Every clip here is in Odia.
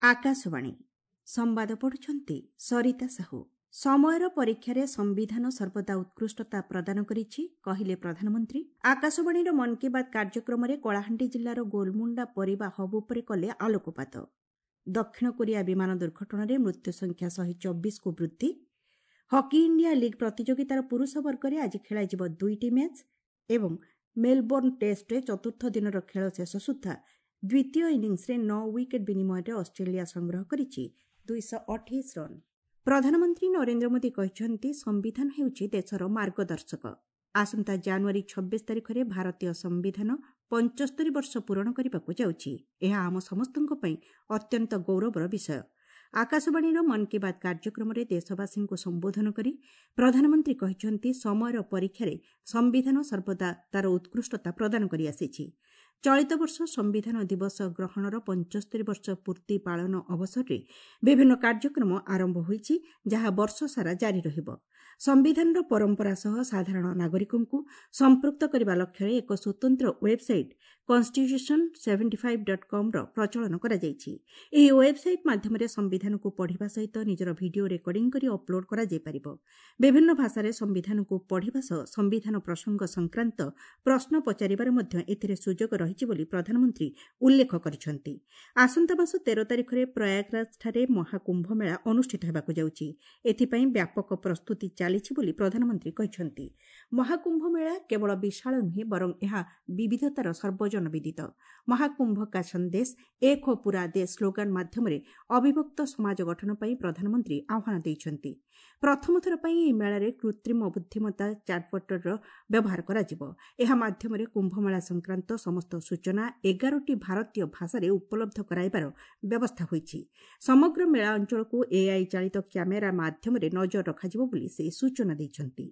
ଆକାଶବାଣୀ, ସମ୍ବାଦ ପଢୁଛନ୍ତି ସରିତା ସାହୁ। ସମୟର ପରୀକ୍ଷାରେ ସମ୍ବିଧାନ ସର୍ବଦା ଉତ୍କୃଷ୍ଟତା ପ୍ରଦାନ କରିଛି, କହିଲେ ପ୍ରଧାନମନ୍ତ୍ରୀ। ଆକାଶବାଣୀର ମନ୍ କି ବାତ୍ କାର୍ଯ୍ୟକ୍ରମରେ କଳାହାଣ୍ଡି ଜିଲ୍ଲାର ଗୋଲମୁଣ୍ଡା ପରିବା ହବ୍ ଉପରେ କଲେ ଆଲୋକପାତ। ଦକ୍ଷିଣ କୋରିଆ ବିମାନ ଦୁର୍ଘଟଣାରେ ମୃତ୍ୟୁ ସଂଖ୍ୟା 124କୁ ବୃଦ୍ଧି। ହକି ଇଣ୍ଡିଆ ଲିଗ୍ ପ୍ରତିଯୋଗିତାର ପୁରୁଷ ବର୍ଗରେ ଆଜି ଖେଳାଯିବ ଦୁଇଟି ମ୍ୟାଚ୍ ଏବଂ ମେଲବୋର୍ଣ୍ଣ ଟେଷ୍ଟରେ ଚତୁର୍ଥ ଦିନର ଖେଳ ଶେଷ ସୁଦ୍ଧା ଦ୍ୱିତୀୟ ଇନିଂସରେ 9 ୱିକେଟ୍ ବିନିମୟରେ ଅଷ୍ଟ୍ରେଲିଆ ସଂଗ୍ରହ କରିଛି 228 ରନ୍। ପ୍ରଧାନମନ୍ତ୍ରୀ ନରେନ୍ଦ୍ର ମୋଦି କହିଛନ୍ତି, ସମ୍ବିଧାନ ହେଉଛି ଦେଶର ମାର୍ଗଦର୍ଶକ। ଆସନ୍ତା ଜାନୁଆରୀ 26 ତାରିଖରେ ଭାରତୀୟ ସମ୍ବିଧାନ 75 ବର୍ଷ ପୂରଣ କରିବାକୁ ଯାଉଛି। ଏହା ଆମ ସମସ୍ତଙ୍କ ପାଇଁ ଅତ୍ୟନ୍ତ ଗୌରବର ବିଷୟ। ଆକାଶବାଣୀର ମନ୍ କି ବାତ୍ କାର୍ଯ୍ୟକ୍ରମରେ ଦେଶବାସୀଙ୍କୁ ସମ୍ବୋଧନ କରି ପ୍ରଧାନମନ୍ତ୍ରୀ କହିଛନ୍ତି, ସମୟର ପରୀକ୍ଷାରେ ସମ୍ବିଧାନ ସର୍ବଦା ତା'ର ଉତ୍କୃଷ୍ଟତା ପ୍ରଦାନ କରିଆସିଛି। ଚଳିତ ବର୍ଷ ସମ୍ବିଧାନ ଦିବସ ଗ୍ରହଣର 75 ବର୍ଷ ପୂର୍ତ୍ତି ପାଳନ ଅବସରରେ ବିଭିନ୍ନ କାର୍ଯ୍ୟକ୍ରମ ଆରମ୍ଭ ହୋଇଛି, ଯାହା ବର୍ଷସାରା ଜାରି ରହିବ। ସମ୍ବିଧାନର ପରମ୍ପରା ସହ ସାଧାରଣ ନାଗରିକଙ୍କୁ ସମ୍ପୃକ୍ତ କରିବା ଲକ୍ଷ୍ୟରେ ଏକ ସ୍ୱତନ୍ତ୍ର ୱେବ୍ସାଇଟ୍ କନ୍ଷ୍ଟିଚ୍ୟୁସନ୍ 75 ଡଟ୍ କମ୍ର ପ୍ରଚଳନ କରାଯାଇଛି। ଏହି ୱେବ୍ସାଇଟ୍ ମାଧ୍ୟମରେ ସମ୍ବିଧାନକୁ ପଢ଼ିବା ସହିତ ନିଜର ଭିଡିଓ ରେକର୍ଡିଂ କରି ଅପଲୋଡ୍ କରାଯାଇପାରିବ। ବିଭିନ୍ନ ଭାଷାରେ ସମ୍ବିଧାନକୁ ପଢ଼ିବା ସହ ସମ୍ବିଧାନ ପ୍ରସଙ୍ଗ ସଂକ୍ରାନ୍ତ ପ୍ରଶ୍ନ ପଚାରିବାର ମଧ୍ୟ ଏଥିରେ ସୁଯୋଗ ରହିଛି ବୋଲି ପ୍ରଧାନମନ୍ତ୍ରୀ ଉଲ୍ଲେଖ କରିଛନ୍ତି। ଆସନ୍ତା ମାସ 13 ତାରିଖରେ ପ୍ରୟାଗରାଜଠାରେ ମହାକୁମ୍ଭମେଳା ଅନୁଷ୍ଠିତ ହେବାକୁ ଯାଉଛି। ଏଥିପାଇଁ ବ୍ୟାପକ ପ୍ରସ୍ତୁତି ଚାଲିଛି ବୋଲି ପ୍ରଧାନମନ୍ତ୍ରୀ କହିଛନ୍ତି। ମହାକୁମ୍ଭ ମେଳା କେବଳ ବିଶାଳ ନୁହେଁ, ବରଂ ଏହା ବିବିଧତାର ସର୍ବଜନ ବିଦିତ। ମହାକୁମ୍ଭ କା ସନ୍ଦେଶ ଏକ ହୋ ପୁରା ଦେଶ ସ୍ଲୋଗାନ ମାଧ୍ୟମରେ ଅବିଭକ୍ତ ସମାଜ ଗଠନ ପାଇଁ ପ୍ରଧାନମନ୍ତ୍ରୀ ଆହ୍ୱାନ ଦେଇଛନ୍ତି। ପ୍ରଥମ ଥର ପାଇଁ ଏହି ମେଳାରେ କୃତ୍ରିମ ବୁଦ୍ଧିମତ୍ତା ଚାଟ୍ବଟ୍ର ବ୍ୟବହାର କରାଯିବ। ଏହା ମାଧ୍ୟମରେ କୁମ୍ଭମେଳା ସଂକ୍ରାନ୍ତ ସମସ୍ତ ସୂଚନା 11ଟି ଭାରତୀୟ ଭାଷାରେ ଉପଲବ୍ଧ କରାଇବାର ବ୍ୟବସ୍ଥା ହୋଇଛି। ସମଗ୍ର ମେଳା ଅଞ୍ଚଳକୁ ଏଆଇ ଚାଳିତ କ୍ୟାମେରା ମାଧ୍ୟମରେ ନଜର ରଖାଯିବ ବୋଲି ସେ ସୂଚନା ଦେଇଛନ୍ତି।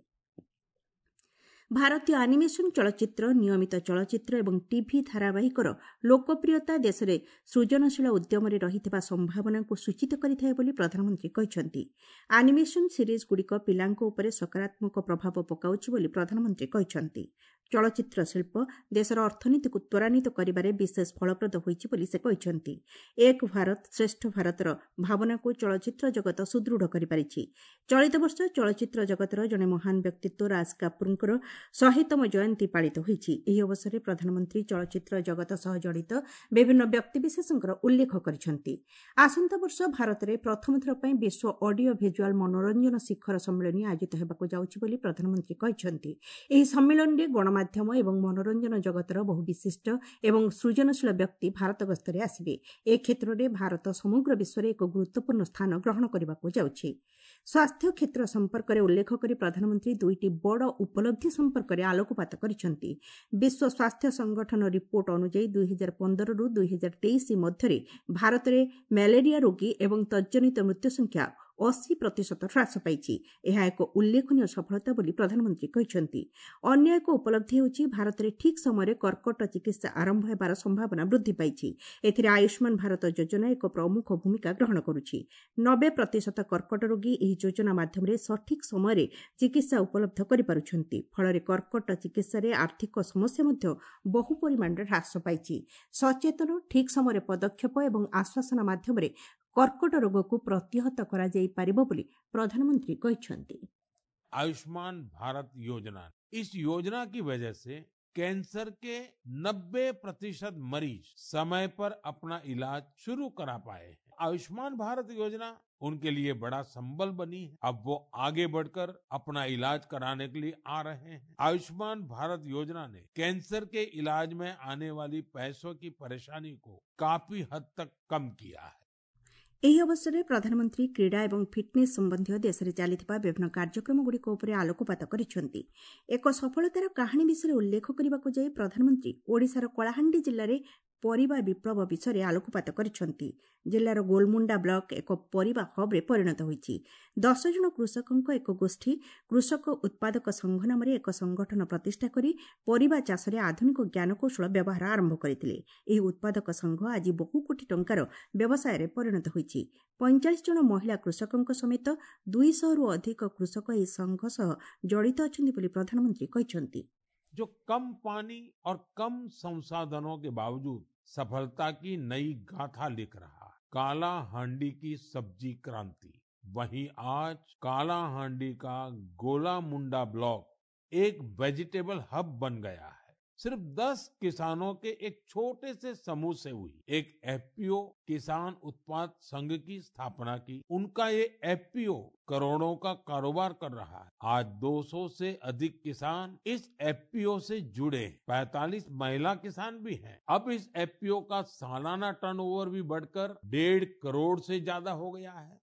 ଭାରତୀୟ ଆନିମେସନ୍ ଚଳଚ୍ଚିତ୍ର, ନିୟମିତ ଚଳଚ୍ଚିତ୍ର ଏବଂ ଟିଭି ଧାରାବାହିକର ଲୋକପ୍ରିୟତା ଦେଶରେ ସୃଜନଶୀଳ ଉଦ୍ୟମରେ ରହିଥିବା ସମ୍ଭାବନାକୁ ସୂଚିତ କରିଥାଏ ବୋଲି ପ୍ରଧାନମନ୍ତ୍ରୀ କହିଛନ୍ତି। ଆନିମେସନ୍ ସିରିଜ୍ଗୁଡ଼ିକ ପିଲାଙ୍କ ଉପରେ ସକାରାତ୍ମକ ପ୍ରଭାବ ପକାଉଛି ବୋଲି ପ୍ରଧାନମନ୍ତ୍ରୀ କହିଛନ୍ତି। ଚଳଚ୍ଚିତ୍ର ଶିଳ୍ପ ଦେଶର ଅର୍ଥନୀତିକୁ ତ୍ୱରାନ୍ୱିତ କରିବାରେ ବିଶେଷ ଫଳପ୍ରଦ ହୋଇଛି ବୋଲି ସେ କହିଛନ୍ତି। ଏକ ଭାରତ ଶ୍ରେଷ୍ଠ ଭାରତର ଭାବନାକୁ ଚଳଚ୍ଚିତ୍ର ଜଗତ ସୁଦୃଢ଼ କରିପାରିଛି। ଚଳିତ ବର୍ଷ ଚଳଚ୍ଚିତ୍ର ଜଗତର ଜଣେ ମହାନ ବ୍ୟକ୍ତିତ୍ୱ ରାଜ କାପୁରଙ୍କର 100ତମ ଜୟନ୍ତୀ ପାଳିତ ହୋଇଛି। ଏହି ଅବସରରେ ପ୍ରଧାନମନ୍ତ୍ରୀ ଚଳଚ୍ଚିତ୍ର ଜଗତ ସହ ଜଡ଼ିତ ବିଭିନ୍ନ ବ୍ୟକ୍ତିବିଶେଷଙ୍କର ଉଲ୍ଲେଖ କରିଛନ୍ତି। ଆସନ୍ତା ବର୍ଷ ଭାରତରେ ପ୍ରଥମ ଥର ପାଇଁ ବିଶ୍ୱ ଅଡିଓ ଭିଜୁଆଲ ମନୋରଞ୍ଜନ ଶିଖର ସମ୍ମିଳନୀ ଆୟୋଜିତ ହେବାକୁ ଯାଉଛି ବୋଲି ପ୍ରଧାନମନ୍ତ୍ରୀ କହିଛନ୍ତି। ଏହି ସମ୍ମିଳନୀରେ ଗଣମାଧ୍ୟମ ଏବଂ ମନୋରଞ୍ଜନ ଜଗତର ବହୁ ବିଶିଷ୍ଟ ଏବଂ ସୃଜନଶୀଳ ବ୍ୟକ୍ତି ଭାରତ ଗସ୍ତରେ ଆସିବେ। ଏ କ୍ଷେତ୍ରରେ ଭାରତ ସମଗ୍ର ବିଶ୍ୱରେ ଏକ ଗୁରୁତ୍ୱପୂର୍ଣ୍ଣ ସ୍ଥାନ ଗ୍ରହଣ କରିବାକୁ ଯାଉଛି। ସ୍ୱାସ୍ଥ୍ୟ କ୍ଷେତ୍ର ସମ୍ପର୍କରେ ଉଲ୍ଲେଖ କରି ପ୍ରଧାନମନ୍ତ୍ରୀ ଦୁଇଟି ବଡ଼ ଉପଲବ୍ଧି ସମ୍ପର୍କରେ ଆଲୋକପାତ କରିଛନ୍ତି। ବିଶ୍ୱ ସ୍ୱାସ୍ଥ୍ୟ ସଂଗଠନ ରିପୋର୍ଟ ଅନୁଯାୟୀ 2015ରୁ 2023 ମଧ୍ୟରେ ଭାରତରେ ମ୍ୟାଲେରିଆ ରୋଗୀ ଏବଂ ତଜ୍ଜନିତ ମୃତ୍ୟୁ ସଂଖ୍ୟା 80% ହ୍ରାସ ପାଇଛି। ଏହା ଏକ ଉଲ୍ଲେଖନୀୟ ସଫଳତା ବୋଲି ପ୍ରଧାନମନ୍ତ୍ରୀ କହିଛନ୍ତି। ଅନ୍ୟ ଏକ ଉପଲବ୍ଧି ହେଉଛି ଭାରତରେ ଠିକ୍ ସମୟରେ କର୍କଟ ଚିକିତ୍ସା ଆରମ୍ଭ ହେବାର ସମ୍ଭାବନା ବୃଦ୍ଧି ପାଇଛି। ଏଥିରେ ଆୟୁଷ୍ମାନ ଭାରତ ଯୋଜନା ଏକ ପ୍ରମୁଖ ଭୂମିକା ଗ୍ରହଣ କରୁଛି। 90% କର୍କଟ ରୋଗୀ ଏହି ଯୋଜନା ମାଧ୍ୟମରେ ସଠିକ୍ ସମୟରେ ଚିକିତ୍ସା ଉପଲବ୍ଧ କରିପାରୁଛନ୍ତି। ଫଳରେ କର୍କଟ ଚିକିତ୍ସାରେ ଆର୍ଥିକ ସମସ୍ୟା ମଧ୍ୟ ବହୁ ପରିମାଣରେ ହ୍ରାସ ପାଇଛି। ସଚେତନ, ଠିକ୍ ସମୟରେ ପଦକ୍ଷେପ ଏବଂ ଆଶ୍ୱାସନା ମାଧ୍ୟମରେ କର୍କଟ ରୋଗକୁ ପ୍ରତିହତ କରାଯାଇପାରିବ ବୋଲି ପ୍ରଧାନମନ୍ତ୍ରୀ କହିଛନ୍ତି। आयुष्मान भारत योजना, इस योजना की वजह से कैंसर के 90% मरीज समय पर अपना इलाज शुरू करा पाए हैं। आयुष्मान भारत योजना उनके लिए बड़ा संबल बनी है। अब वो आगे बढ़कर अपना इलाज कराने के लिए आ रहे हैं। आयुष्मान भारत योजना ने कैंसर के इलाज में आने वाली पैसों की परेशानी को काफी हद तक कम किया है। ଏହି ଅବସରରେ ପ୍ରଧାନମନ୍ତ୍ରୀ କ୍ରୀଡ଼ା ଏବଂ ଫିଟ୍ନେସ୍ ସମ୍ବନ୍ଧୀୟ ଦେଶରେ ଚାଲିଥିବା ବିଭିନ୍ନ କାର୍ଯ୍ୟକ୍ରମଗୁଡ଼ିକ ଉପରେ ଆଲୋକପାତ କରିଛନ୍ତି। ଏକ ସଫଳତାର କାହାଣୀ ବିଷୟରେ ଉଲ୍ଲେଖ କରିବାକୁ ଯାଇ ପ୍ରଧାନମନ୍ତ୍ରୀ ଓଡ଼ିଶାର କଳାହାଣ୍ଡି ଜିଲ୍ଲାରେ ପରିବା ବିପ୍ଳବ ବିଷୟରେ ଆଲୋକପାତ କରିଛନ୍ତି। ଜିଲ୍ଲାର ଗୋଲମୁଣ୍ଡା ବ୍ଲକ ଏକ ପରିବା ହବ୍ରେ ପରିଣତ ହୋଇଛି। 10 ଜଣ କୃଷକଙ୍କ ଏକ ଗୋଷ୍ଠୀ କୃଷକ ଉତ୍ପାଦକ ସଂଘ ନାମରେ ଏକ ସଂଗଠନ ପ୍ରତିଷ୍ଠା କରି ପରିବା ଚାଷରେ ଆଧୁନିକ ଜ୍ଞାନକୌଶଳ ବ୍ୟବହାର ଆରମ୍ଭ କରିଥିଲେ। ଏହି ଉତ୍ପାଦକ ସଂଘ ଆଜି ବହୁ କୋଟି ଟଙ୍କାର ବ୍ୟବସାୟରେ ପରିଣତ ହୋଇଛି। 45 ଜଣ ମହିଳା କୃଷକଙ୍କ ସମେତ 200ରୁ ଅଧିକ କୃଷକ ଏହି ସଂଘ ସହ ଜଡ଼ିତ ଅଛନ୍ତି ବୋଲି ପ୍ରଧାନମନ୍ତ୍ରୀ କହିଛନ୍ତି। जो कम पानी और कम संसाधनों के बावजूद सफलता की नई गाथा लिख रहा है। कालाहांडी की सब्जी क्रांति। वहीं आज कालाहांडी का गोलामुंडा ब्लॉक एक वेजिटेबल हब बन गया है। सिर्फ 10 किसानों के एक छोटे से समूह से हुई एक एफपीओ किसान उत्पाद संघ की स्थापना की। उनका ये एफपीओ करोड़ों का कारोबार कर रहा है। आज 200 से अधिक किसान इस एफपीओ से जुड़े हैं। 45 महिला किसान भी हैं। अब इस एफपीओ का सालाना टर्नओवर भी बढ़कर 1.5 करोड़ से ज्यादा हो गया है।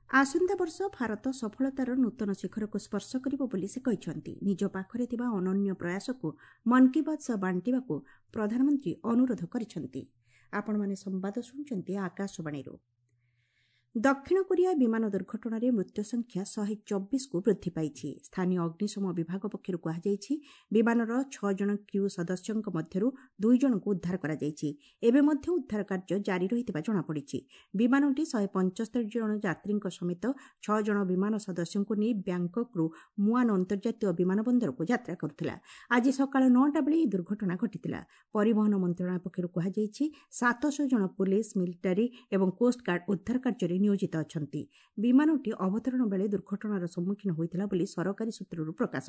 ଆସନ୍ତା ବର୍ଷ ଭାରତ ସଫଳତାର ନୂତନ ଶିଖରକୁ ସ୍ପର୍ଶ କରିବ ବୋଲି ସେ କହିଛନ୍ତି। ନିଜ ପାଖରେ ଥିବା ଅନନ୍ୟ ପ୍ରୟାସକୁ ମନ୍ କି ବାତ୍ ସହ ବାଣ୍ଟିବାକୁ ପ୍ରଧାନମନ୍ତ୍ରୀ ଅନୁରୋଧ କରିଛନ୍ତି। ଆପଣମାନେ ସମ୍ବାଦ ଶୁଣୁଛନ୍ତି ଆକାଶବାଣୀରୁ। ଦକ୍ଷିଣ କୋରିଆ ବିମାନ ଦୁର୍ଘଟଣାରେ ମୃତ୍ୟୁ ସଂଖ୍ୟା 124କୁ ବୃଦ୍ଧି ପାଇଛି। ସ୍ଥାନୀୟ ଅଗ୍ନିଶମ ବିଭାଗ ପକ୍ଷରୁ କୁହାଯାଇଛି, ବିମାନର 6 ଜଣ କ୍ରିଉ ସଦସ୍ୟଙ୍କ ମଧ୍ୟରୁ 2 ଜଣଙ୍କୁ ଉଦ୍ଧାର କରାଯାଇଛି। ଏବେ ମଧ୍ୟ ଉଦ୍ଧାର କାର୍ଯ୍ୟ ଜାରି ରହିଥିବା ଜଣାପଡ଼ିଛି। ବିମାନଟି 175 ଜଣ ଯାତ୍ରୀଙ୍କ ସମେତ 6 ଜଣ ବିମାନ ସଦସ୍ୟଙ୍କୁ ନେଇ ବ୍ୟାଙ୍କକ୍ରୁ ମୁଆନ୍ ଅନ୍ତର୍ଜାତୀୟ ବିମାନ ବନ୍ଦରକୁ ଯାତ୍ରା କରୁଥିଲା। ଆଜି ସକାଳ 9ଟା ବେଳେ ଏହି ଦୁର୍ଘଟଣା ଘଟିଥିଲା। ପରିବହନ ମନ୍ତ୍ରଣାଳୟ ପକ୍ଷରୁ କୁହାଯାଇଛି, 700 ଜଣ ପୁଲିସ୍, ମିଲିଟାରୀ ଏବଂ କୋଷ୍ଟଗାର୍ଡ ଉଦ୍ଧାର କାର୍ଯ୍ୟରେ ନିୟୋଜିତ ଅଛନ୍ତି। ବିମାନଟି ଅବତରଣ ବେଳେ ଦୁର୍ଘଟଣାର ସମ୍ମୁଖୀନ ହୋଇଥିଲା ବୋଲି ସରକାରୀ ସୂତ୍ରରୁ ପ୍ରକାଶ।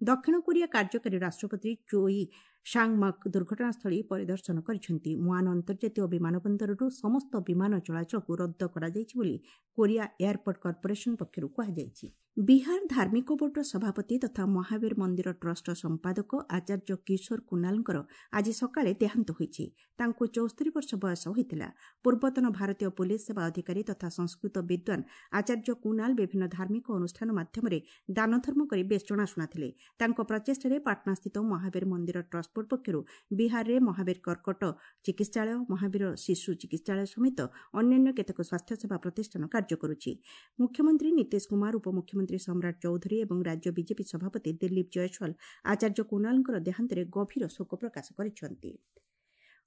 ଦକ୍ଷିଣ କୋରିଆ କାର୍ଯ୍ୟକାରୀ ରାଷ୍ଟ୍ରପତି ଚୋଇ ସାଙ୍ଗମକ୍ ଦୁର୍ଘଟଣାସ୍ଥଳୀ ପରିଦର୍ଶନ କରିଛନ୍ତି। ମୁଆନ୍ ଅନ୍ତର୍ଜାତୀୟ ବିମାନ ବନ୍ଦରରୁ ସମସ୍ତ ବିମାନ ଚଳାଚଳକୁ ରଦ୍ଦ କରାଯାଇଛି ବୋଲି କୋରିଆ ଏୟାରପୋର୍ଟ କର୍ପୋରେସନ ପକ୍ଷରୁ କୁହାଯାଇଛି। ବିହାର ଧାର୍ମିକ ବୋର୍ଡର ସଭାପତି ତଥା ମହାବୀର ମନ୍ଦିର ଟ୍ରଷ୍ଟର ସମ୍ପାଦକ ଆଚାର୍ଯ୍ୟ କିଶୋର କୁନାଲଙ୍କର ଆଜି ସକାଳେ ଦେହାନ୍ତ ହୋଇଛି। ତାଙ୍କୁ 74 ବର୍ଷ ବୟସ ହୋଇଥିଲା। ପୂର୍ବତନ ଭାରତୀୟ ପୁଲିସ୍ ସେବା ଅଧିକାରୀ ତଥା ସଂସ୍କୃତ ବିଦ୍ୱାନ ଆଚାର୍ଯ୍ୟ କୁନାଲ ବିଭିନ୍ନ ଧାର୍ମିକ ଅନୁଷ୍ଠାନ ମାଧ୍ୟମରେ ଦାନଧର୍ମ କରି ବେଶ୍ ଜଣାଶୁଣା ଥିଲେ। ତାଙ୍କ ପ୍ରଚେଷ୍ଟାରେ ପାଟନାସ୍ଥିତ ମହାବୀର ମନ୍ଦିର ଟ୍ରଷ୍ଟ ବୋର୍ଡ ପକ୍ଷରୁ ବିହାରରେ ମହାବୀର କର୍କଟ ଚିକିତ୍ସାଳୟ, ମହାବୀର ଶିଶୁ ଚିକିତ୍ସାଳୟ ସମେତ ଅନ୍ୟାନ୍ୟ କେତେକ ସ୍ୱାସ୍ଥ୍ୟସେବା ପ୍ରତିଷ୍ଠାନ କାର୍ଯ୍ୟ କରୁଛି। ମୁଖ୍ୟମନ୍ତ୍ରୀ ନୀତିଶ କୁମାର, ଉପମୁଖ୍ୟମନ୍ତ୍ରୀ ସମ୍ରାଟ ଚୌଧୁରୀ ଏବଂ ରାଜ୍ୟ ବିଜେପି ସଭାପତି ଦିଲ୍ଲୀପ ଜୟସ୍ୱାଲ ଆଚାର୍ଯ୍ୟ କୁନାଲଙ୍କର ଦେହାନ୍ତରେ ଗଭୀର ଶୋକ ପ୍ରକାଶ କରିଛନ୍ତି।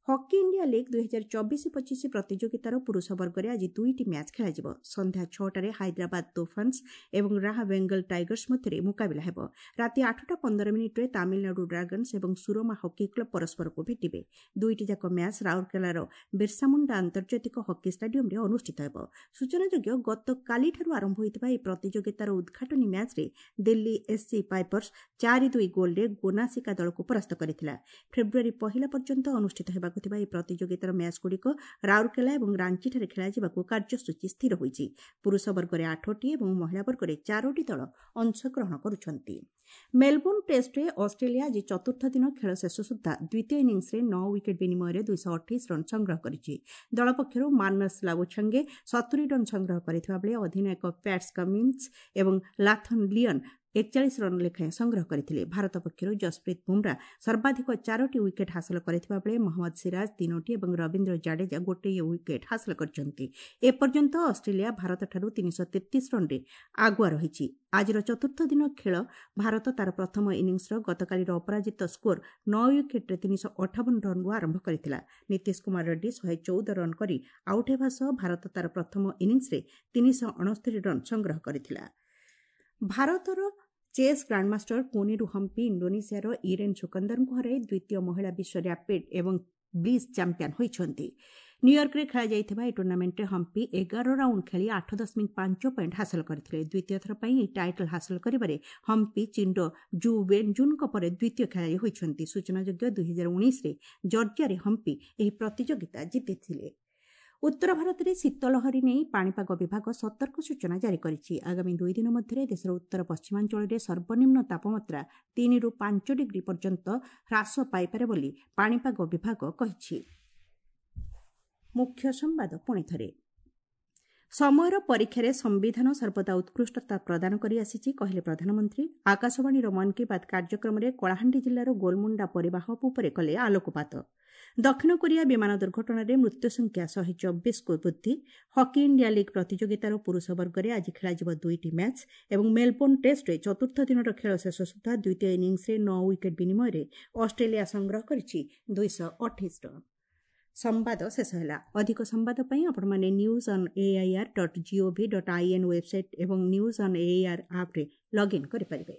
ହକି ଇଣ୍ଡିଆ ଲିଗ୍ 2024-25 ପ୍ରତିଯୋଗିତାର ପୁରୁଷ ବର୍ଗରେ ଆଜି 2ଟି ମ୍ୟାଚ୍ ଖେଳାଯିବ। ସନ୍ଧ୍ୟା 6ଟାରେ ହାଇଦ୍ରାବାଦ ତୋଫାନ୍ସ ଏବଂ ରାହା ବେଙ୍ଗଲ ଟାଇଗର୍ସ ମଧ୍ୟରେ ମୁକାବିଲା ହେବ। ରାତି 8ଟା 15 ମିନିଟ୍ରେ ତାମିଲନାଡୁ ଡ୍ରାଗନ୍ସ ଏବଂ ସୁରମା ହକି କ୍ଲବ୍ ପରସ୍ପରକୁ ଭେଟିବେ। ଦୁଇଟି ଯାକ ମ୍ୟାଚ୍ ରାଉରକେଲାର ବିର୍ସାମୁଣ୍ଡା ଆନ୍ତର୍ଜାତିକ ହକି ଷ୍ଟାଡିୟମରେ ଅନୁଷ୍ଠିତ ହେବ। ସୂଚନାଯୋଗ୍ୟ, ଗତକାଲିଠାରୁ ଆରମ୍ଭ ହୋଇଥିବା ଏହି ପ୍ରତିଯୋଗିତାର ଉଦ୍ଘାଟନୀ ମ୍ୟାଚ୍ରେ ଦିଲ୍ଲୀ ଏସ୍ସି ପାଇପର୍ସ 4-2 ଗୋଲ୍ରେ ଗୋନାସିକା ଦଳକୁ ପରାସ୍ତ କରିଥିଲା। ଫେବୃଆରୀ 1 ପର୍ଯ୍ୟନ୍ତ ଅନୁଷ୍ଠିତ ହେବାକୁ ଥିବା ଏହି ପ୍ରତିଯୋଗିତାର ମ୍ୟାଚ୍ଗୁଡ଼ିକ ରାଉରକେଲା ଏବଂ ରାଞ୍ଚିଠାରେ ଖେଳାଯିବାକୁ କାର୍ଯ୍ୟସୂଚୀ ସ୍ଥିର ହୋଇଛି। ପୁରୁଷ ବର୍ଗରେ 8ଟି ଏବଂ ମହିଳା ବର୍ଗରେ 4ଟି ଦଳ ଅଂଶଗ୍ରହଣ କରୁଛନ୍ତି। ମେଲବୋର୍ଣ୍ଣ ଟେଷ୍ଟରେ ଅଷ୍ଟ୍ରେଲିଆ ଆଜି ଚତୁର୍ଥ ଦିନ ଖେଳ ଶେଷ ସୁଦ୍ଧା ଦ୍ୱିତୀୟ ଇନିଂସରେ 9 ୱିକେଟ୍ ବିନିମୟରେ 228 ରନ୍ ସଂଗ୍ରହ କରିଛି। ଦଳ ପକ୍ଷରୁ ମାନସ ଲାବୁଛାଙ୍ଗେ 70 ରନ୍ ସଂଗ୍ରହ କରିଥିବା ବେଳେ ଅଧିନାୟକ ପ୍ୟାଟ୍ସ କମିନ୍ସ ଏବଂ ଲାଥନ୍ ଲିଅନ୍ 41 ରନ୍ ଲେଖାଏଁ ସଂଗ୍ରହ କରିଥିଲେ। ଭାରତ ପକ୍ଷରୁ ଯଶପ୍ରୀତ ବୁମ୍ରା ସର୍ବାଧିକ 4ଟି ୱିକେଟ୍ ହାସଲ କରିଥିବା ବେଳେ ମହମ୍ମଦ ସିରାଜ 3ଟି ଏବଂ ରବୀନ୍ଦ୍ର ଜାଡେଜା ଗୋଟିଏ ୱିକେଟ୍ ହାସଲ କରିଛନ୍ତି। ଏପର୍ଯ୍ୟନ୍ତ ଅଷ୍ଟ୍ରେଲିଆ ଭାରତଠାରୁ 333 ରନ୍ରେ ଆଗୁଆ ରହିଛି। ଆଜିର ଚତୁର୍ଥ ଦିନ ଖେଳ ଭାରତ ତାର ପ୍ରଥମ ଇନିଂସର ଗତକାଲିର ଅପରାଜିତ ସ୍କୋର 9 ୱିକେଟ୍ରେ 358 ରନ୍ରୁ ଆରମ୍ଭ କରିଥିଲା। ନୀତିଶ କୁମାର ରେଡ୍ଡି 114 ରନ୍ କରି ଆଉଟ୍ ହେବା ସହ ଭାରତ ତାର ପ୍ରଥମ ଇନିଂସରେ 369 ରନ୍ ସଂଗ୍ରହ କରିଥିଲା। ଭାରତର ଚେସ୍ ଗ୍ରାଣ୍ଡମାଷ୍ଟର କୋନିରୁ ହମ୍ପି ଇଣ୍ଡୋନେସିଆର ଇରେନ୍ ସୁକନ୍ଦରଙ୍କୁ ହରାଇ ଦ୍ୱିତୀୟ ମହିଳା ବିଶ୍ୱ ର୍ୟାପିଡ୍ ଏବଂ ବ୍ଲିଜ୍ ଚାମ୍ପିୟନ୍ ହୋଇଛନ୍ତି। ନ୍ୟୁୟର୍କରେ ଖେଳାଯାଇଥିବା ଏହି ଟୁର୍ଣ୍ଣାମେଣ୍ଟରେ ହମ୍ପି 11 ରାଉଣ୍ଡ ଖେଳି 8.5 ପଏଣ୍ଟ ହାସଲ କରିଥିଲେ। ଦ୍ୱିତୀୟ ଥର ପାଇଁ ଏହି ଟାଇଟଲ୍ ହାସଲ କରିବାରେ ହମ୍ପି ଚୀନର ଜୁ ୱେନ୍ଜୁନ୍ଙ୍କ ପରେ ଦ୍ୱିତୀୟ ଖେଳାଳି ହୋଇଛନ୍ତି। ସୂଚନାଯୋଗ୍ୟ, 2019ରେ ଜର୍ଜିଆରେ ହମ୍ପି ଏହି ପ୍ରତିଯୋଗିତା ଜିତିଥିଲେ। ଉତ୍ତର ଭାରତରେ ଶୀତଲହରୀ ନେଇ ପାଣିପାଗ ବିଭାଗ ସତର୍କ ସୂଚନା ଜାରି କରିଛି। ଆଗାମୀ 2 ଦିନ ମଧ୍ୟରେ ଦେଶର ଉତ୍ତର ପଶ୍ଚିମାଞ୍ଚଳରେ ସର୍ବନିମ୍ନ ତାପମାତ୍ରା 3ରୁ 5 ଡିଗ୍ରୀ ପର୍ଯ୍ୟନ୍ତ ହ୍ରାସ ପାଇପାରେ ବୋଲି ପାଣିପାଗ ବିଭାଗ କହିଛି। ମୁଖ୍ୟ ସମ୍ବାଦ ପୁଣିଥରେ। ସମୟର ପରୀକ୍ଷାରେ ସମ୍ବିଧାନ ସର୍ବଦା ଉତ୍କୃଷ୍ଟତା ପ୍ରଦାନ କରିଆସିଛି, କହିଲେ ପ୍ରଧାନମନ୍ତ୍ରୀ। ଆକାଶବାଣୀର ମନ୍ କି ବାତ୍ କାର୍ଯ୍ୟକ୍ରମରେ କଳାହାଣ୍ଡି ଜିଲ୍ଲାର ଗୋଲମୁଣ୍ଡା ପରିବାହକ ଉପରେ କଲେ ଆଲୋକପାତ। ଦକ୍ଷିଣ କୋରିଆ ବିମାନ ଦୁର୍ଘଟଣାରେ ମୃତ୍ୟୁ ସଂଖ୍ୟା 124କୁ ବୃଦ୍ଧି। ହକି ଇଣ୍ଡିଆ ଲିଗ୍ ପ୍ରତିଯୋଗିତାର ପୁରୁଷ ବର୍ଗରେ ଆଜି ଖେଳାଯିବ 2ଟି ମ୍ୟାଚ୍ ଏବଂ ମେଲବୋର୍ଣ୍ଣ ଟେଷ୍ଟରେ ଚତୁର୍ଥ ଦିନର ଖେଳ ଶେଷ ସୁଦ୍ଧା ଦ୍ୱିତୀୟ ଇନିଂସରେ 9 ୱିକେଟ୍ ବିନିମୟରେ ଅଷ୍ଟ୍ରେଲିଆ ସଂଗ୍ରହ କରିଛି 228 ରନ୍। ସମ୍ବାଦ ଶେଷ ହେଲା। ଅଧିକ ସମ୍ବାଦ ପାଇଁ ଆପଣମାନେ news on AIR dot GOV dot IN website ଏବଂ ନ୍ୟୁଜ୍ ଅନ୍ ଏଆଇଆର୍ ଆପ୍ରେ ଲଗ୍ଇନ୍ କରିପାରିବେ।